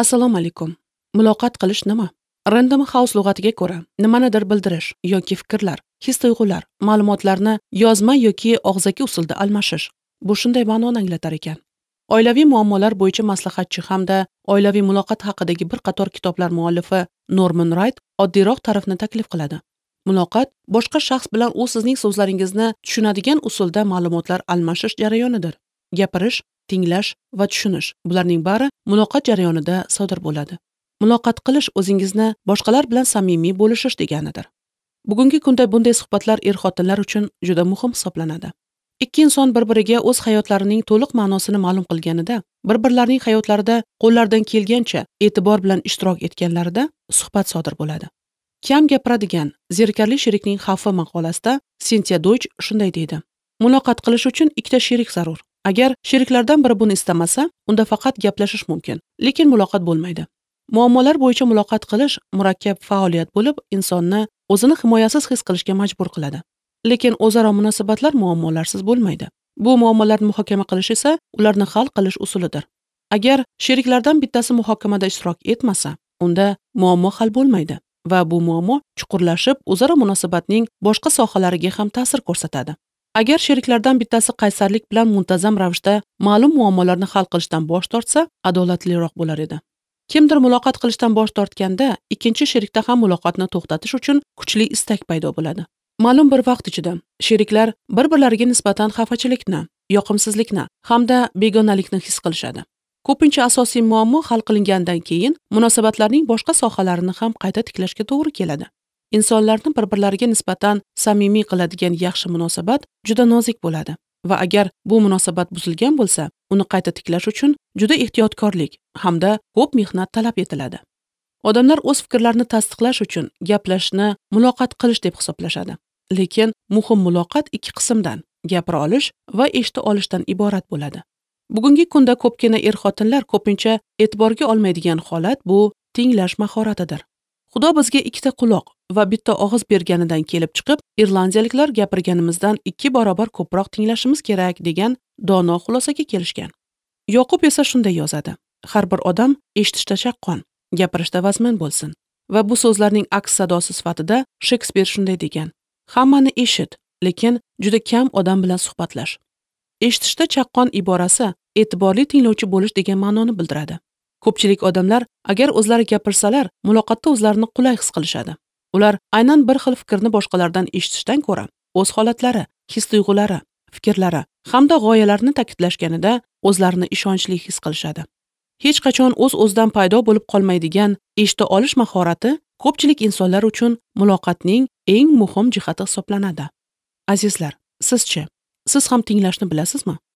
Assalomu alaykum. Muloqot qilish nima? Random House lug'atiga ko'ra, nimanidir bildirish yoki fikrlar, his-tuyg'ular, ma'lumotlarni yozma yoki og'zaki usulda almashish. Bu shunday ma'noni anglatar ekan. Oilaviy muammolar bo'yicha maslahatchi hamda oilaviy muloqot haqidagi bir qator kitoblar muallifi Norman Wright oddiyroq ta'rifni taklif qiladi. Muloqot boshqa shaxs bilan u sizning so'zlaringizni tushunadigan usulda ma'lumotlar almashish jarayonidir. Gapirish, tinglash va tushunish bularning bari muloqot jarayonida sodir bo'ladi. Muloqot qilish o'zingizni boshqalar bilan samimiy bo'lishish deganidir. Bugungi kunda bunday suhbatlar er-xotinlar uchun juda muhim hisoblanadi. Ikki inson bir-biriga o'z hayotlarining to'liq ma'nosini ma'lum qilganida, bir-birlarining hayotlarida qo'llaridan kelgancha e'tibor bilan ishtirok etganlarida suhbat sodir bo'ladi. Kam gapiradigan zerikarli sherikning xavfi maqolasida Sintiya Doych shunday deydi: Muloqot qilish uchun ikkita sherik zarur. Agar sheriklardan biri buni istamasa, unda faqat gaplashish mumkin, lekin muloqot bo'lmaydi. Muammolar bo'yicha muloqot qilish murakkab faoliyat bo'lib, insonni o'zini himoyasiz his qilishga majbur qiladi. Lekin o'zaro munosabatlar muammolarsiz bo'lmaydi. Bu muammolarni muhokama qilish esa ularni hal qilish usulidir. Agar sheriklardan bittasi muhokamada ishtirok etmasa, unda muammo hal bo'lmaydi va bu muammo chuqurlashib, o'zaro munosabatning boshqa sohalariga ham ta'sir ko'rsatadi. Agar sheriklardan bittasi qaysarlik bilan muntazam ravishda ma'lum muammolarni hal qilishdan bosh tortsa, adolatliroq bo'lar edi. Kimdir muloqot qilishdan bosh tortganda, ikkinchi sherikda ham muloqotni to'xtatish uchun kuchli istak paydo bo'ladi. Ma'lum bir vaqt ichida sheriklar bir-birlariga nisbatan xafachilikni, yoqimsizlikni hamda begonalikni his qilishadi. Ko'pincha asosiy muammo hal qilingandan keyin munosabatlarning boshqa sohalarini ham qayta tiklashga to'g'ri keladi. Insonlarni bir-birlariga nisbatan samimiy qiladigan yaxshi munosabat juda nozik bo'ladi va agar bu munosabat buzilgan bo'lsa, uni qayta tiklash uchun juda ehtiyotkorlik hamda ko'p mehnat talab etiladi. Odamlar o'z fikrlarini tasdiqlash uchun gaplashishni muloqot qilish deb hisoblashadi. Lekin muhim muloqot ikki qismdan, gapira olish va eshita olishdan iborat bo'ladi. Bugungi kunda ko'pgina er-xotinlar ko'pincha e'tiborga olmaydigan holat bu tinglash mahoratidir. Xudo bizga ikkita quloq va bitta og'iz berganidan kelib chiqib, irlandiyaliklar gapirganimizdan 2 barobar ko'proq tinglashimiz kerak degan dono xulosaga kelishgan. Yoqub esa shunday yozadi: Har bir odam eshitishda chaqqon, gapirishda vazmin bo'lsin. Va bu so'zlarning aks sadosi sifatida Shekspir shunday degan: Hammani eshit, lekin juda kam odam bilan suhbatlash. Eshitishda chaqqon iborasi e'tiborli tinglovchi bo'lish degan ma'noni bildiradi. Ko'pchilik odamlar agar o'zlari gapirsalar, muloqotda o'zlarini qulay his qilishadi. Ular aynan bir xil fikrni boshqalardan eshitishdan ko'ra, o'z holatlari, his-tuyg'ulari, fikrlari hamda g'oyalarini ta'kidlashganida o'zlarini ishonchli his qilishadi. Hech qachon o'z-o'zidan paydo bo'lib qolmaydigan eshita olish mahorati ko'pchilik insonlar uchun muloqotning eng muhim jihati hisoblanadi. Azizlar, sizchi, siz ham tinglashni bilasizmi?